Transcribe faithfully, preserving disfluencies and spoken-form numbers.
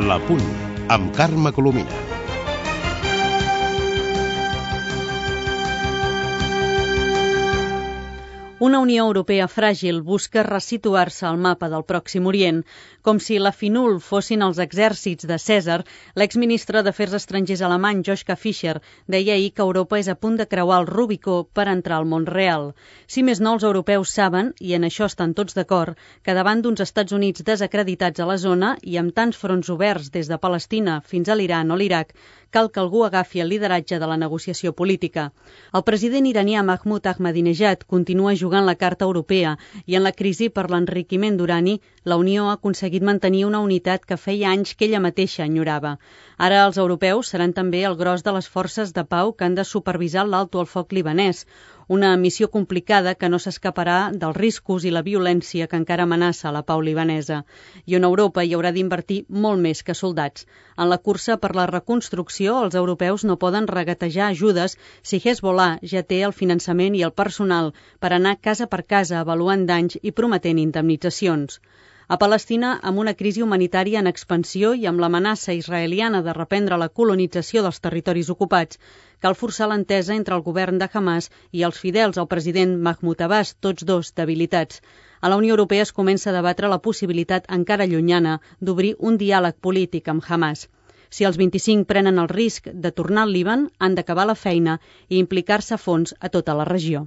La Punt, amb Carme Colomina. Una Unió Europea fràgil busca resituar-se al mapa del Pròxim Orient. Com si la FINUL fossin els exèrcits de Cèsar, l'exministre d'Afers Estrangers alemany Joschka Fischer deia ahir que Europa és a punt de creuar el Rubicó per entrar al món real. Si més no, els europeus saben, i en això estan tots d'acord, que davant d'uns Estats Units desacreditats a la zona i amb tants fronts oberts des de Palestina fins a l'Iran o l'Iraq, cal que algú agafi el lideratge de la negociació política. El president iranià Mahmoud Ahmadinejad continua jugant la carta europea i en la crisi per l'enriquiment d'urani, la Unió ha aconseguit mantenir una unitat que feia anys que ella mateixa enyorava. Ara els europeus seran també el gros de les forces de pau que han de supervisar l'alto al foc libanès, una missió complicada que no s'escaparà dels riscos i la violència que encara amenaça la pau libanesa, i on Europa hi haurà d'invertir molt més que soldats. En la cursa per la reconstrucció, els europeus no poden regatejar ajudes si Hezbollah ja té el finançament i el personal per anar casa per casa avaluant danys i prometent indemnitzacions. A Palestina, amb una crisi humanitària en expansió i amb l'amenaça israeliana de reprendre la colonització dels territoris ocupats, cal forçar l'entesa entre el govern de Hamas i els fidels al president Mahmoud Abbas, tots dos debilitats. A la Unió Europea es comença a debatre la possibilitat encara llunyana d'obrir un diàleg polític amb Hamas. Si els vint-i-cinc prenen el risc de tornar al Líban, han d'acabar la feina i implicar-se a fons a tota la regió.